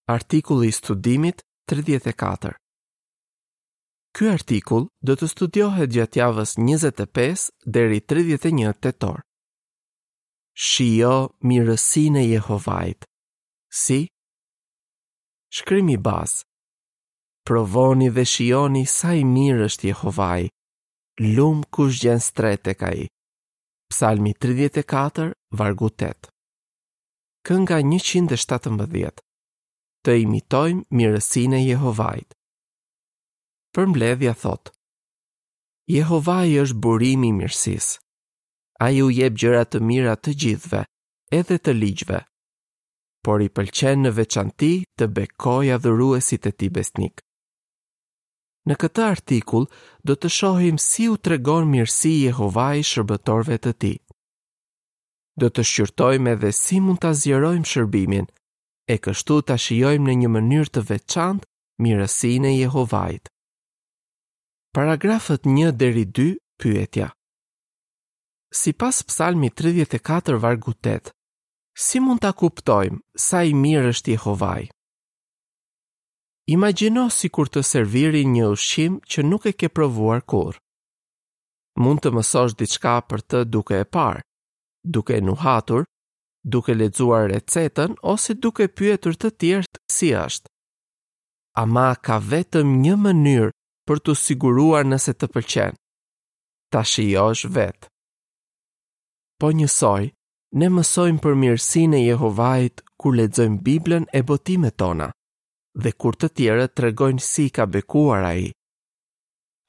Artikulli i studimit 34. Ky artikull do të studiohet gjatë javës 25 deri 31 tetor. Shijo mirësinë e Jehovait. Si? Shkrimi bazë. Provoni dhe shijoni sa i mirë është Jehovai. Lum kush gjen strehë tek ai. Psalmi 34, vargu 8. Kënga 117. Të imitojmë mirësinë e Jehovait. Përmbledhja thotë: Jehovai është burimi i mirësisë. Ai u jep gjëra të mira të gjithëve, edhe të ligjve. Por i pëlqen në veçanti të bekojë adhuruesit e tij besnikë. Në këtë artikull do të shohim si u tregon mirësi Jehovai shërbëtorëve të tij. Do të shqyrtojmë edhe si mund ta zgjerojmë shërbimin, e kështu ta shijojmë në një mënyrë të veçantë mirësinë e Jehovait. Paragrafët 1 deri 2, pyetja. Sipas Psalmit 34 vargu 8, si mund ta kuptojmë sa i mirë është Jehovai? Imagjino sikur të servirin një ushqim që nuk e ke provuar kurrë. Mund të mësosh diçka për të duke e parë, duke e nuhatur, duke lexuar recetën ose duke pyetur të tjerët si është. Ama ka vetëm një mënyrë për t'u siguruar nëse të pëlqen. Ta shijosh vetë. Po njësoj, ne mësojmë për mirësinë e Jehovait kur lexojmë Biblën e botimet tona dhe kur të tjerët tregojnë si i ka bekuar ai.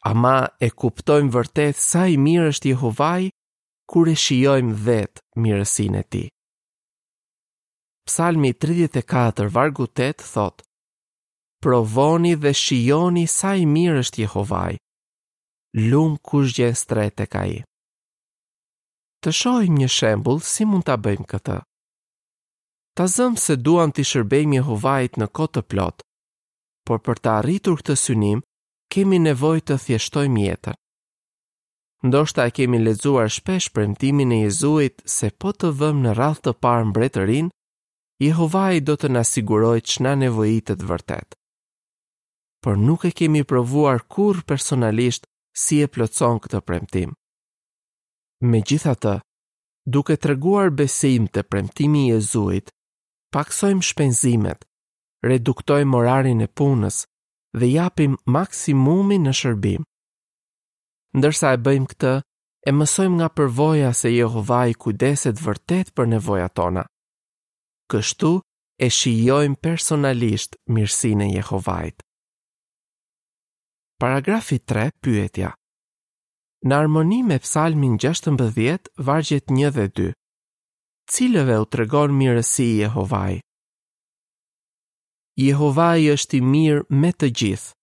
Ama e kuptojmë vërtet sa i mirë është Jehovai kur e shijojmë vetë mirësinë e tij. Psalmi 34 vargu 8 thotë: Provoni dhe shijoni sa i mirë është Jehovai. Lum kush gjen strehë tek ai. Të shohim një shembull si mund ta bëjmë këtë. Ta zëmë se duam t'i shërbejmë Jehovait në kohë të plotë, por për të arritur këtë synim, kemi nevojë të thjeshtojmë jetën. Ndoshta e kemi lexuar shpesh premtimin e Jezuit se po të vëmë në radhë të parë mbretërinë, Jehovai do të na sigurojë ç'na nevojitet vërtet. Por nuk e kemi provuar kurrë personalisht si e plotëson këtë premtim. Megjithatë, duke treguar besim te premtimi i Jezuit, pakësojmë shpenzimet, reduktojmë orarin e punës dhe japim maksimumin në shërbim. Ndërsa e bëjmë këtë, e mësojmë nga përvoja se Jehovai kujdeset vërtet për nevojat tona. Kështu e shijojmë personalisht mirësinë e Jehovait. Paragrafi 3, pyetja. Në harmoni me Psalmin 16, vargjet 1 dhe 2. Cilëve u tregon mirësi Jehovai? Jehovai është i mirë me të gjithë,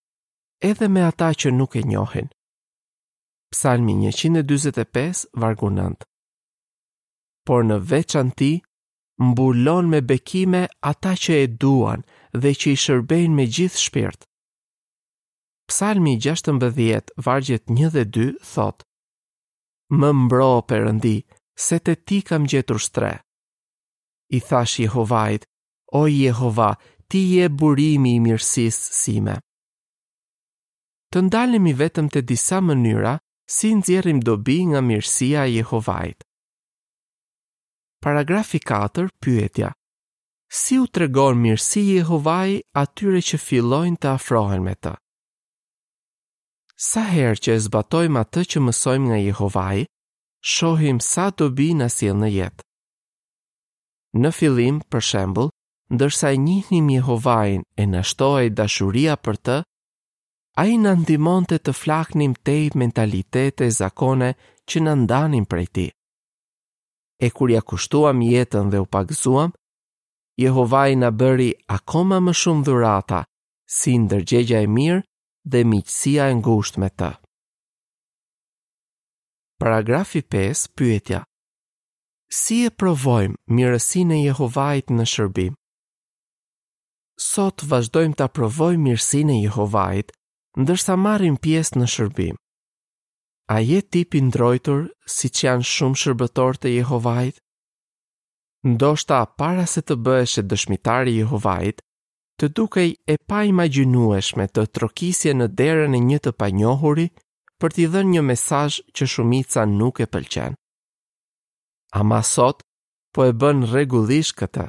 edhe me ata që nuk e njohin. Psalmi 145, vargu 9. Por në veçanti, mbulon me bekime ata që e duan dhe që i shërbejnë me gjithë shpirt. Psalmi 16, vargjet 1 dhe 2, thotë, Më mbro, Perëndi, se te ti kam gjetur strehë. I thashë Jehovait, o Jehova, ti je burimi i mirësisë sime. Të ndalemi vetëm te disa mënyra si nxjerrim dobi nga mirësia e Jehovait. Paragrafi 4, pyetja. Si u tregon mirësi Jehovai atyre që fillojnë të afrohen me të? Sa herë që e zbatojmë atë që mësojmë nga Jehovai, shohim sa dobi na sjell në jetë. Në fillim, për shembull, ndërsa e njihnim Jehovain e na shtohej dashuria për të, ai na ndihmonte të flaknim tej mentalitete e zakone që na ndanin prej tij. E kur ia kushtuam jetën dhe u pagëzuam, Jehovai na bëri akoma më shumë dhurata, si ndërgjegja e mirë dhe miqësia e ngushtë me të. Paragrafi 5, pyetja. Si e provojmë mirësinë e Jehovait në shërbim? Sot vazhdojmë ta provojmë mirësinë e Jehovait, ndërsa marrim pjesë në shërbim. A je tip i ndrojtur siç janë shumë shërbëtorë të Jehovait? Ndoshta para se të bëheshe dëshmitar i Jehovait, Të dukej e paimagjinueshme të trokisje në derën e një të panjohuri për t'i dhënë një mesazh që shumica nuk e pëlqen. Ama sot po e bën rregullisht këtë.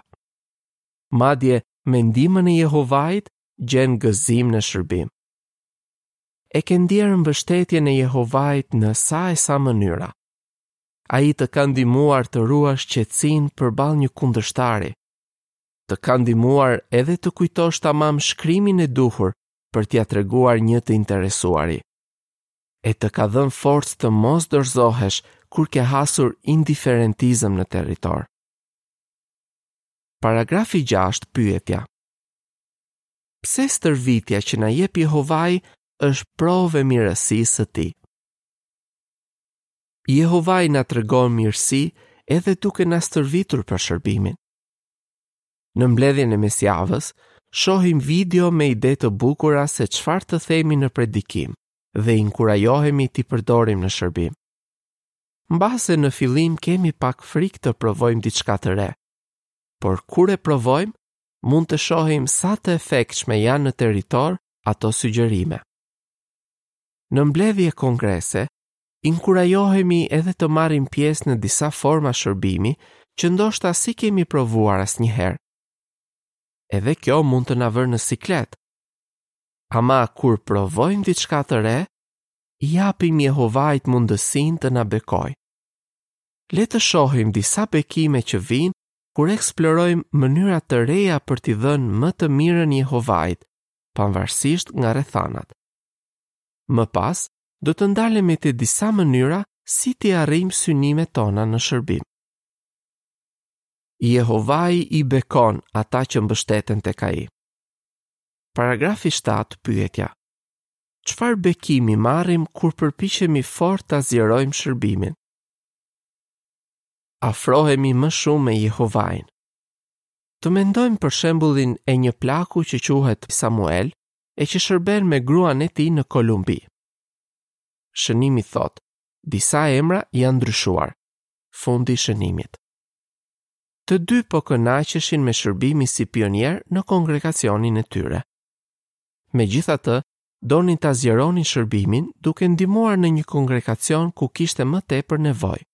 Madje me ndihmën e Jehovait gjen gëzim në shërbim. E ke ndjerë mbështetjen e Jehovait në sa e sa mënyra. Ai të ka ndihmuar të ruash qetësinë përballë një kundërshtari. Të ka ndihmuar edhe të kujtosh tamam shkrimin e duhur për t'ia treguar një të interesuari. E të ka dhënë forcë të mos dorëzohesh kur ke hasur indiferentizëm në territor. Paragrafi 6, pyetja. Pse stërvitja që na jep Jehovai është provë e mirësisë së tij? Jehovai na tregon mirësi edhe duke na stërvitur për shërbimin. Në mbledhjen e mesjavës, shohim video me ide të bukura se çfarë të themi në predikim dhe inkurajohemi t'i përdorim në shërbim. Mbase në fillim kemi pak frikë të provojmë diçka të re, por kur e provojmë, mund të shohim sa të efektshme janë në territor ato sugjerime. Në mbledhje e kongrese, inkurajohemi edhe të marrim pjesë në disa forma shërbimi që ndoshta s'i kemi provuar asnjëherë. Edhe kjo mund të na vërë në siklet. Ama kur provojmë diçka të re, i japim Jehovait mundësinë të na bekojë. Le të shohim disa bekime që vijnë kur eksplorojmë mënyra të reja për t'i dhënë më të mirën Jehovait, pavarësisht nga rrethanat. Më pas, do të ndalemi te disa mënyra si t'i arrijmë synimet tona në shërbim. Jehovai i bekon ata që mbështeten tek ai. Paragrafi 7, pyetja. Çfarë bekimi marrim kur përpiqemi fort ta zgjerojmë shërbimin? Afrohemi më shumë me Jehovain. Të mendojmë për shembullin e një plaku që quhet Samuel e që shërben me gruan e tij në Kolumbi. Shënimi thotë, disa emra janë ndryshuar. Fundi i shënimit. Të dy po kënaqeshin me shërbimin si pionierë në kongregacionin e tyre. Megjithatë, donin ta zgjeronin shërbimin duke ndihmuar në një kongregacion ku kishte më tepër nevojë.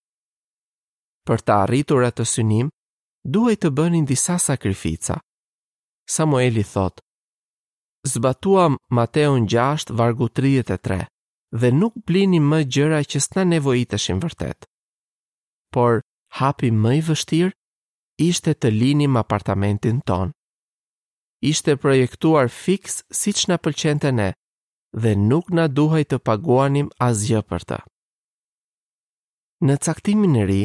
Për ta arritur atë synim, duhej të bënin disa sakrifica. Samueli thotë: Zbatuam Mateun 6 vargu 33 dhe nuk blinim më gjëra që s'na nevojiteshin vërtet. Por hapi më i vështirë ishte të linim apartamentin tonë. Ishte projektuar fiks siç na pëlqente ne dhe nuk na duhej të paguanim asgjë për të. Në caktimin e ri,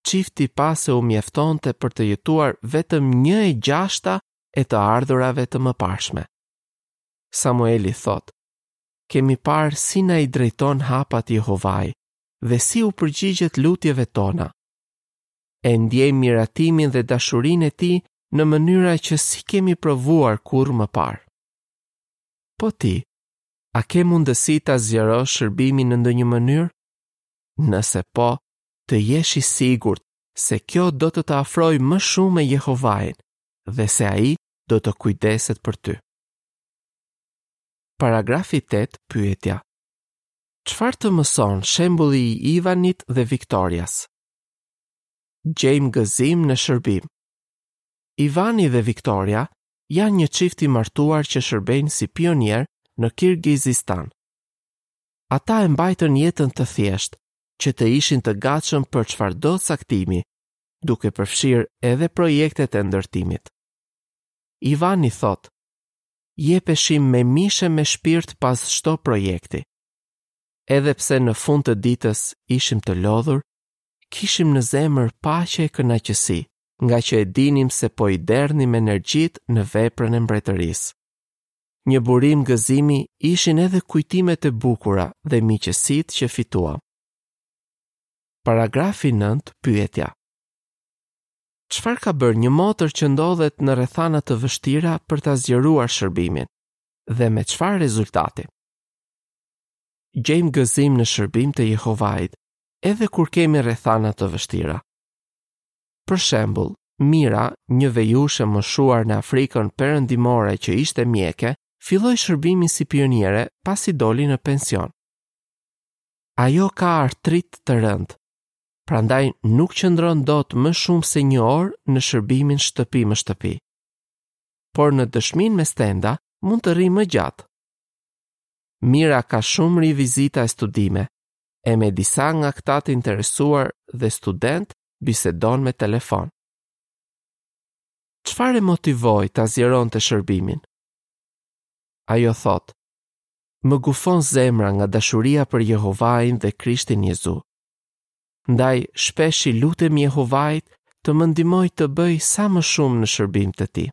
çifti pa se u mjaftonte për të jetuar vetëm 1/6 e të ardhurave të mëparshme. Samueli thotë, kemi parë si na i drejton hapat Jehovai dhe si u përgjigjet lutjeve tona. E ndjejmë miratimin dhe dashurinë e tij në mënyra që s'i kemi provuar kurrë më parë. Po ti, a ke mundësi ta zgjerosh shërbimin në ndonjë mënyrë? Nëse po, të jesh i sigurt se kjo do të të afrojë më shumë me Jehovain dhe se ai do të kujdeset për ty. Paragrafi 8, pyetja. Çfarë të mëson shembulli i Ivanit dhe Viktorias? Gjejmë gëzim në shërbim. Ivani dhe Viktoria janë një çift i martuar që shërbejnë si pionierë në Kirgizistan. Ata e mbajtën jetën të thjeshtë, që të ishin të gatshëm për çfarëdo caktimi, duke përfshirë edhe projektet e ndërtimit. Ivani thotë, jepeshim me mish e me shpirt pas çdo projekti. Edhe pse në fund të ditës ishim të lodhur, kishim në zemër paqe e kënaqësi, ngaqë e dinim se po i derdhnim energjitë në veprën e mbretërisë. Një burim gëzimi ishin edhe kujtimet e bukura dhe miqësitë që fituam. Paragrafi 9, pyetja. Çfarë ka bërë një motër që ndodhet në rrethana të vështira për ta zgjeruar shërbimin dhe me çfarë rezultati? Gjejmë gëzim në shërbim të Jehovait edhe kur kemi rrethana të vështira. Për shembull, Mira, një vejushë e moshuar në Afrikën Perëndimore që ishte mjeke, filloi shërbimin si pioniere pasi doli në pension. Ajo ka artrit të rëndë, prandaj nuk qëndron dot më shumë se një orë në shërbimin shtëpi më shtëpi. Por në dëshminë me stenda mund të rrijë më gjatë. Mira ka shumë rivizita e studime, e me disa nga këta të interesuar dhe studentë bisedon me telefon. Çfarë e motivoi ta zgjeronte shërbimin? Ajo thotë, më gufon zemra nga dashuria për Jehovain dhe Krishtin Jezu. Ndaj, shpesh i lutem Jehovait të më ndihmojë të bëj sa më shumë në shërbim të tij.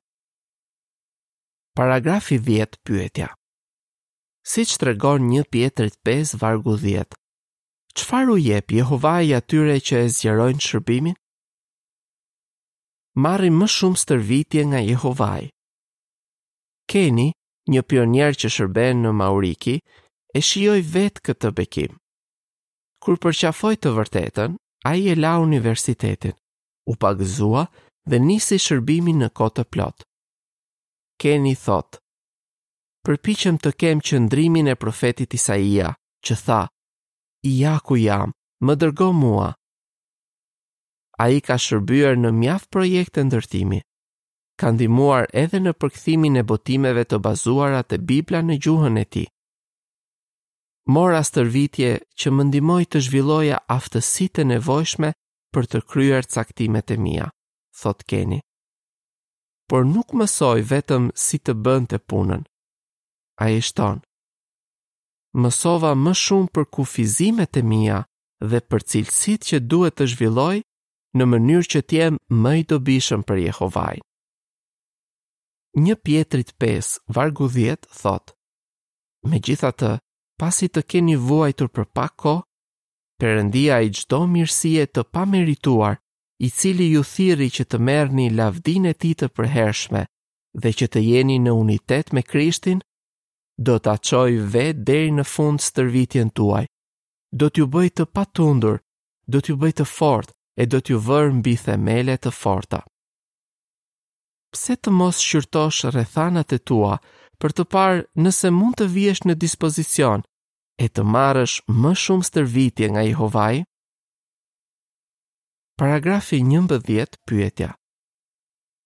Paragrafi 10 pyetja. Siç tregon 1 Pjetrit 5 vargu 10, Çfarë u jep Jehovai atyre që e zgjerojnë shërbimin? Marrim më shumë stërvitje nga Jehovai. Keni, një pionier që shërben në Mauriki, e shijoi vetë këtë bekim. Kur përqafoi të vërtetën, ai e la universitetin, u pagëzua dhe nisi shërbimin në kohë të plotë. Keni thotë, përpiqem të kem qëndrimin e profetit Isaia, që tha, Ja ku jam, më dërgo mua. Ai ka shërbyer në mjaft projekte ndërtimi. Ka ndihmuar edhe në përkthimin e botimeve të bazuara te Bibla në gjuhën e tij. Mora stërvitje që më ndihmoi të zhvilloja aftësitë e nevojshme për të kryer caktimet e mia, thotë Keni. Por nuk mësoi vetëm si të bënte punën. Ai shton: Mësova më shumë për kufizimet e mia dhe për cilësitë që duhet të zhvilloj në mënyrë që të jem më i dobishëm për Jehovain. 1 Pjetrit 5, vargu 10 thotë: Megjithatë, pasi të keni vuajtur për pak kohë, Perëndia i çdo mirësie të pamerituar, i cili ju thirri që të merrni lavdinë e tij të përhershme dhe që të jeni në unitet me Krishtin, do ta çojë vetë deri në fund stërvitjen tuaj. Do t'ju bëjë të patundur, do t'ju bëjë të fortë e do t'ju vërë mbi themele të forta. Pse të mos shqyrtosh rrethanat e tua për të parë nëse mund të vihesh në dispozicion e të marrësh më shumë stërvitje nga Jehovai? Paragrafi 11 pyetja.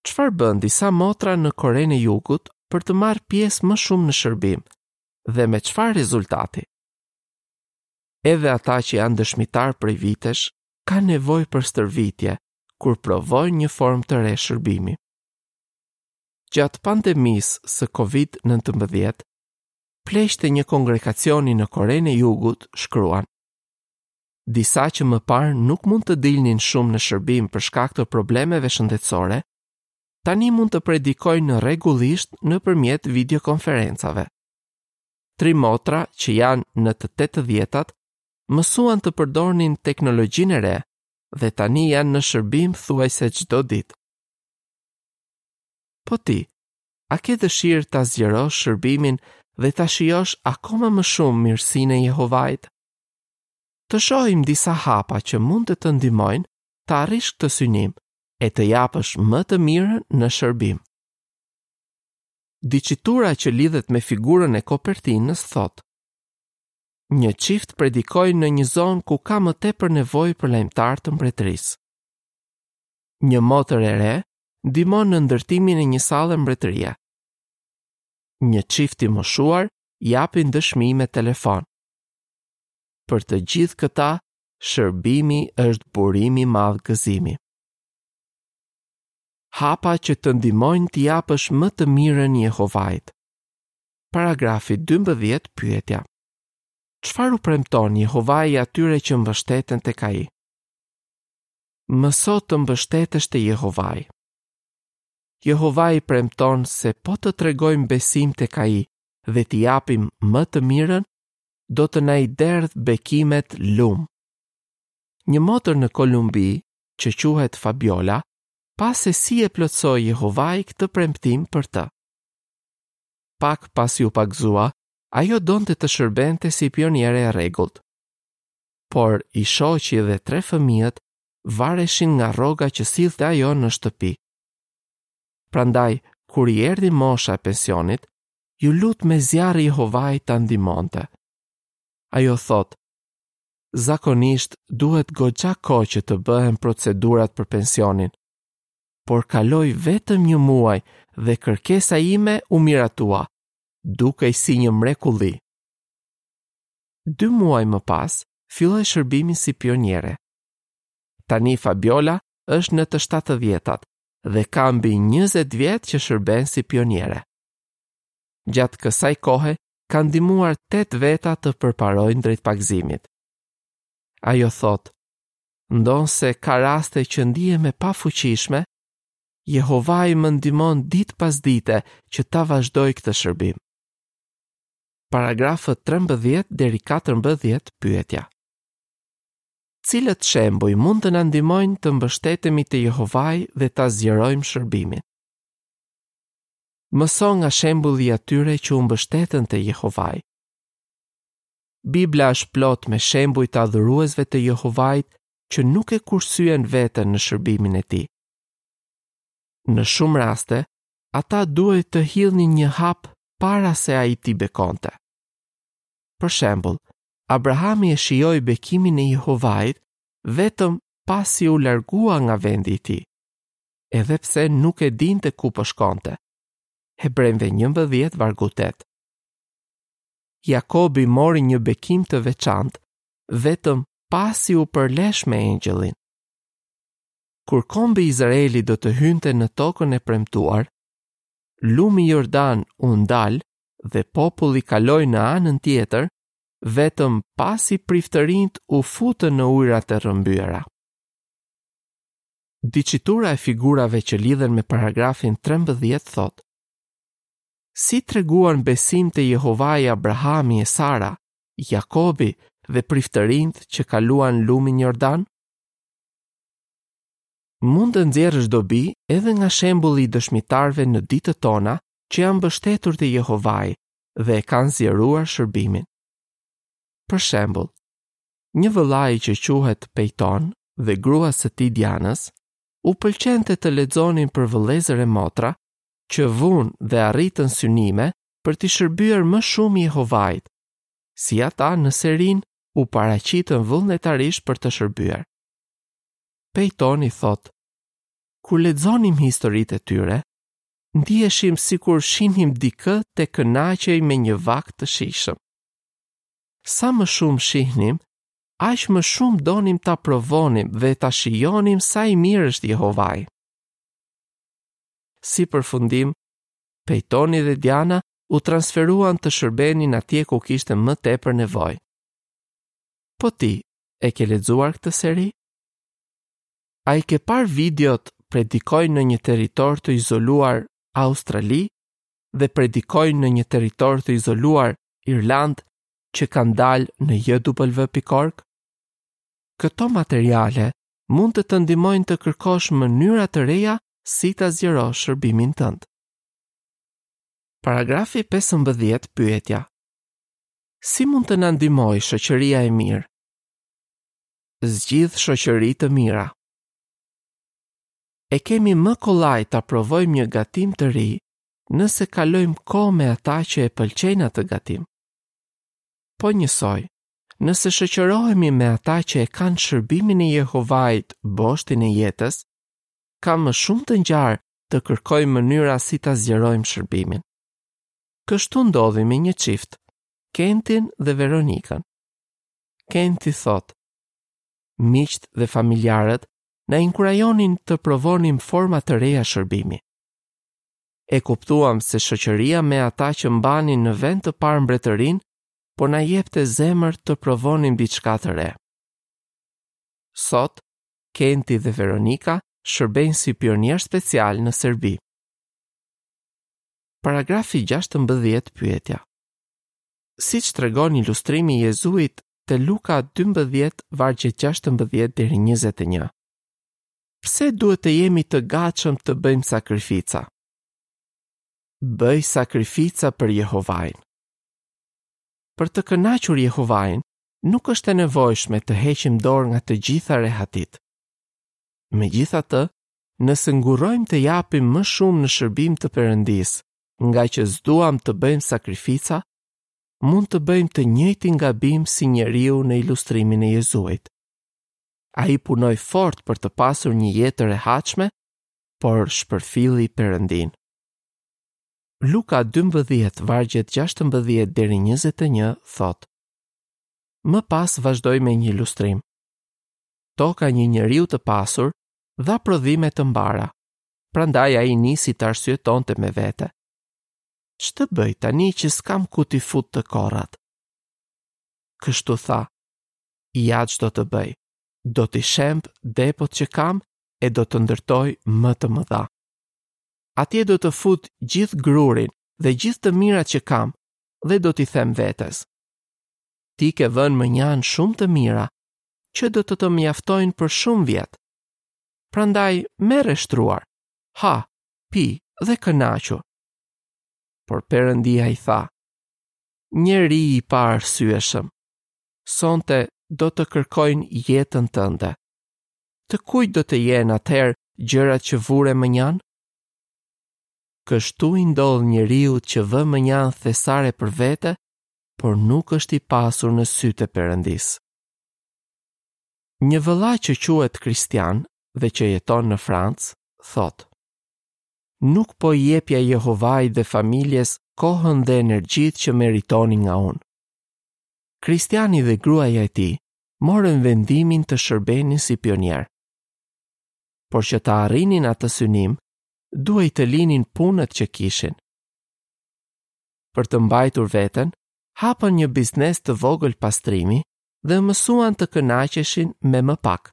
Çfarë bënë disa motra në Korenë e Jugut për të marrë pjesë më shumë në shërbim dhe me çfarë rezultati? Edhe ata që janë dëshmitarë prej vitesh kanë nevojë për stërvitje kur provojnë një formë të re shërbimi. Gjatë pandemisë së COVID-19, pleqtë e një kongregacioni në Korenë e Jugut shkruan: Disa që më parë nuk mund të dilnin shumë në shërbim për shkak të problemeve shëndetësore, tani mund të predikojnë rregullisht nëpërmjet videokonferencave. Tri motra që janë në të tetëdhjetat mësuan të përdornin teknologjinë e re dhe tani janë në shërbim thuajse çdo ditë. Po ti, a ke dëshirë ta zgjerosh shërbimin dhe ta shijosh akoma më shumë mirësinë e Jehovait? Të shohim disa hapa që mund të të ndihmojnë të arrish këtë synim e të japësh më të mirën në shërbim. Diçitura që lidhet me figurën e kopertinës thotë: Një çift predikoi në një zonë ku ka më tepër nevojë për lajmëtarë të mbretërisë. Një motër e re ndihmon në ndërtimin e një salle mbretërie. Një çift i moshuar japin dëshmi me telefon. Për të gjithë këta, shërbimi është burim i madh gëzimi. Hapa që të ndihmojnë t'i japësh më të mirën Jehovait. Paragrafi 12 pyetja. Çfarë u premton Jehovai atyre që mbështeten tek ai? Mëso të mbështetesh te Jehovai. Jehovai premton se po të tregojmë besim tek ai dhe t'i japim më të mirën, do të na i derdhë bekimet lumë. Një motër në Kolumbi, që quhet Fabiola, pa se si e plotësoi Jehovai këtë premtim për të. Pak pasi u pagëzua, ajo donte të shërbente si pioniere e rregullt. Por i shoqi dhe tre fëmijët. vareshin nga rroga që sillte ajo në shtëpi. Prandaj, kur i erdhi mosha e pensionit, iu lut me zjarr Jehovait ta ndihmonte. Ajo thotë, zakonisht duhet goxha kohë që të bëhen procedurat për pensionin, por kaloi vetëm një muaj dhe kërkesa ime u miratua, dukej si një mrekulli. Dy muaj më pas, filloi shërbimin si pioniere. Tani Fabiola është në të shtatëdhjetat dhe ka mbi 20 vjet që shërben si pioniere. Gjatë kësaj kohe ka ndihmuar 8 veta të përparojnë drejt pagëzimit. Ajo thotë, ndonëse ka raste që ndihem e pafuqishme, Jehovai më ndihmon ditë pas dite që ta vazhdoj këtë shërbim. Paragrafët 13 deri 14 pyetja. Cilët shembuj mund të na ndihmojnë të mbështetemi te Jehovai dhe ta zgjerojmë shërbimin? Mëso nga shembulli i atyre që u mbështetën te Jehovai. Bibla është plot me shembuj të adhuruesve të Jehovait që nuk e kursyen veten në shërbimin e tij. Në shumë raste, ata duhej të hidhnin një hap para se ai t'i bekonte. Për shembull, Abrahami e shijoi bekimin e Jehovait vetëm pasi u largua nga vendi i tij, edhe pse nuk e dinte ku po shkonte. Hebrenjve 11 vargu 8. Jakobi mori një bekim të veçantë vetëm pasi u përlesh me engjëllin. Kur kombi i Izraelit do të hynte në tokën e premtuar, lumi Jordan u ndal dhe populli kaloi në anën tjetër vetëm pasi priftërinjtë u futën në ujërat e rrëmbyera. Diçitura e figurave që lidhen me paragrafin 13 thotë: Si treguan besim te Jehovai Abrahami e Sara, Jakobi dhe priftërinjtë që kaluan lumin Jordan? Mund të nxjerrësh dobi edhe nga shembulli i dëshmitarëve në ditët tona që janë mbështetur te Jehovai dhe e kanë zgjeruar shërbimin. Për shembull, një vëllai që quhet Pejton dhe gruas së tij Dianës, u pëlqente të lexonin për vëllezër e motra që vunë dhe arritën synime për t'i shërbyer më shumë Jehovait, si ata në serinë u paraqitën vullnetarisht për të shërbyer. Pejtoni thotë, kur lexonim historitë e tyre, ndiheshim sikur shihnim dikë të kënaqej me një vakt të shijshëm. Sa më shumë shihnim, aq më shumë donim ta provonim dhe ta shijonim sa i mirë është Jehovai. Si përfundim, Pejtoni dhe Diana u transferuan të shërbenin atje ku kishte më tepër nevojë. Po ti, e ke lexuar këtë seri? A i ke parë videot predikojnë në një territor të izoluar Australi dhe predikojnë në një territor të izoluar Irlandë që kanë dalë në jw.org? Këto materiale mund të të ndihmojnë të kërkosh mënyra të reja si ta zgjerosh shërbimin tënd. Paragrafi 15 pyetja. Si mund të na ndihmojë shoqëria e mirë? Zgjidh shoqëri të mira. E kemi më kollaj ta provojmë një gatim të ri nëse kalojmë kohë me ata që e pëlqejnë atë gatim. Po njësoj, nëse shoqërohemi me ata që e kanë shërbimin e Jehovait boshtin e jetës, ka më shumë të ngjarë të kërkojmë mënyra si ta zgjerojmë shërbimin. Kështu ndodhi me një çift, Kentin dhe Veronikën. Kenti thotë, miqtë dhe familjarët na inkurajonin të provonim forma të reja shërbimi. E kuptuam se shoqëria me ata që mbanin në vend të parë mbretërinë, po na jepte zemër të provonim diçka të re. Sot, Kenti dhe Veronika shërbejnë si pionierë specialë në Serbi. Paragrafi 16 pyetja. Siç tregon ilustrimi i Jezuit te Luka 12 vargjet 16 deri 21. Pse duhet të jemi të gatshëm të bëjmë sakrifica? Bëj sakrifica për Jehovain. Për të kënaqur Jehovain, nuk është e nevojshme të heqim dorë nga të gjitha rehatitë. Megjithatë, nëse ngurrojmë të japim më shumë në shërbim të Perëndisë, ngaqë s'duam të bëjmë sakrifica, mund të bëjmë të njëjtin gabim si njeriu në ilustrimin e Jezuit. Ai punoi fort për të pasur një jetë të rehatshme, por shpërfilli Perëndinë. Luka 12, vargjet 16 deri 21 thotë: Më pas vazhdoi me një ilustrim. Toka e një njeriu të pasur dha prodhime të mbara. Prandaj ai nisi të arsyetonte me vete. Ç'të bëj tani që s'kam ku t'i fut të korrat? Kështu tha, ja ç'do të bëj, do t'i shemb depot që kam e do të ndërtoj më të mëdha. Atje do të fut gjithë grurin dhe gjithë të mirat që kam dhe do t'i them vetes. Ti ke vënë mënjanë shumë të mira, që do të të mjaftojnë për shumë vjet. Prandaj merre shtruar, ha, pi dhe kënaqu. Por Perëndia i tha, njeri i paarsyeshëm, sonte do të kërkojnë jetën tënde. Të kujt do të jenë atëherë gjërat që vure mënjanë? Kështu i ndodh njeriut që vë mënjanë thesare për vete, por nuk është i pasur në sytë e Perëndisë. Një vëlla që quhet Kristian dhe që jeton në Francë, thotë: Nuk po i jepja Jehovait dhe familjes kohën dhe energjitë që meritonin nga unë. Kristiani dhe gruaja e tij morën vendimin të shërbenin si pionierë. Por që të arrinin atë synim, duhej të linin punët që kishin. Për të mbajtur veten, hapën një biznes të vogël pastrimi dhe u mësuan të kënaqeshin me më pak.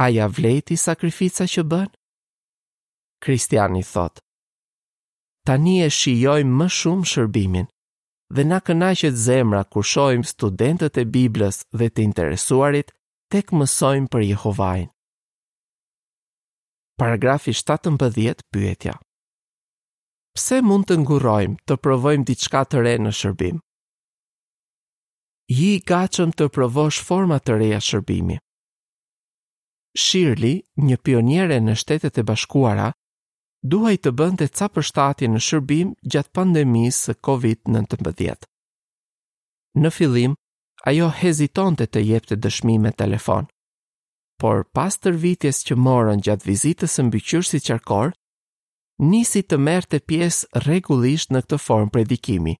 A ia vlejti sakrifica që bënë? Kristiani thotë, tani e shijojmë më shumë shërbimin dhe na kënaqet zemra kur shohim studentët e Biblës dhe të interesuarit tek mësojnë për Jehovain. Paragrafi 17 pyetja. Pse mund të ngurrojmë të provojmë diçka të re në shërbim? Ji i gatshëm të provosh forma të reja shërbimi. Shirley, një pioniere në Shtetet e Bashkuara, duhej të bënte ca përshtatje në shërbim gjatë pandemisë së COVID-19. Në fillim, ajo hezitonte të jepte dëshmi me telefon. Por pas stërvitjes që morën gjatë vizitës së mbikëqyrësit qarkor, nisi të merrte pjesë rregullisht në këtë formë predikimi.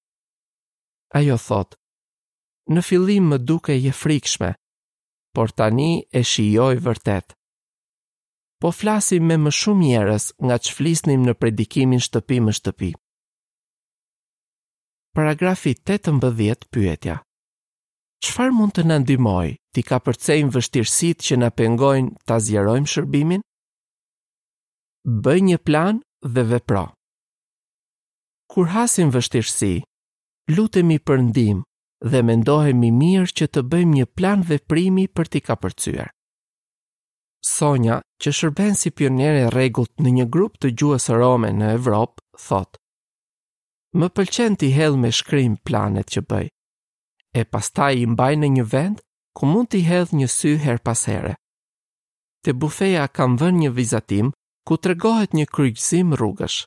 Ajo thotë, në fillim më dukej e frikshme, por tani e shijoj vërtet. Po flasim me më shumë njerëz nga ç'flisnim në predikimin shtëpi më shtëpi. Paragrafi 18 pyetja. Çfarë mund të na ndihmojë t'i kapërcejmë vështirësitë që na pengojnë ta zgjerojmë shërbimin? Bëj një plan dhe vepro. Kur hasim vështirësi, lutemi për ndihmë dhe mendohemi mirë që të bëjmë një plan veprimi për t'i kapërcyer. Sonja, që shërben si pioniere e rregullt në një grup të gjuhës rome në Evropë, thotë: Më pëlqen t'i hedh me shkrim planet që bëj. E pastaj i mbaj në një vend ku mund t'i hedh një sy herë pas here. Te bufeja kam vënë një vizatim ku tregohet një kryqëzim rrugësh.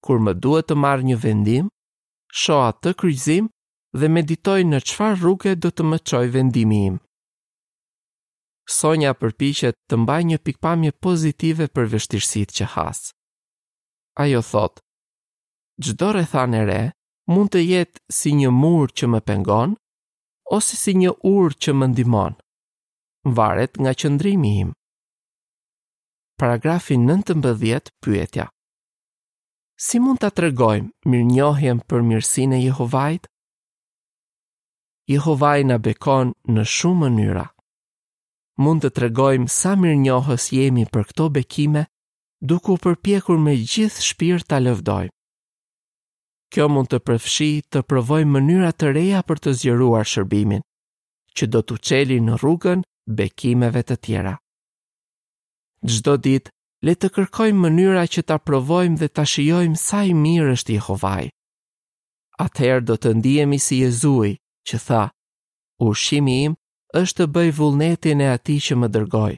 Kur më duhet të marr një vendim, shoh atë kryqëzim dhe meditoj në çfarë rruge do të më çojë vendimi im. Sonja përpiqet të mbajë një pikëpamje pozitive për vështirësitë që has. Ajo thotë, çdo rrethanë e re mund të jetë si një mur që më pengon ose si një urë që më ndihmon. Varet nga qëndrimi im. Paragrafi 19 pyetja. Si mund ta tregojmë mirënjohjen për mirësinë e Jehovait? Jehovai na bekon në shumë mënyra. Mund të tregojmë sa mirënjohës jemi për këto bekime, duke u përpjekur me gjithë shpirt ta lëvdojmë. Kjo mund të përfshijë të provojmë mënyra të reja për të zgjeruar shërbimin, që do t'u çelin rrugën bekimeve të tjera. Çdo ditë, le të kërkojmë mënyra që ta provojmë dhe ta shijojmë sa i mirë është Jehovai. Atëherë do të ndihemi si Jezui, që tha, ushqimi im është të bëj vullnetin e atij që më dërgoi.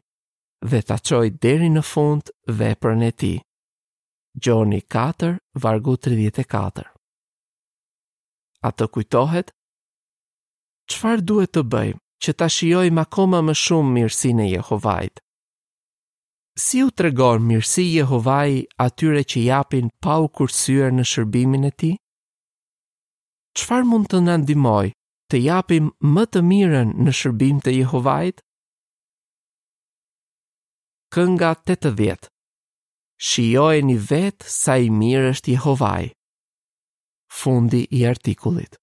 dhe ta çojë deri në fund veprën e tij. Gjoni 4, vargu 34. A të kujtohet? Çfarë duhet të bëjmë që ta shijojmë akoma më shumë mirësinë e Jehovait? Si u tregon mirësi Jehovai atyre që japin pa u kursyer në shërbimin e tij? Çfarë mund të na ndihmojë të japim më të mirën në shërbim të Jehovait? Kënga 80 Shijojeni vetë sa i mirë është Jehovai. Fundi i artikullit.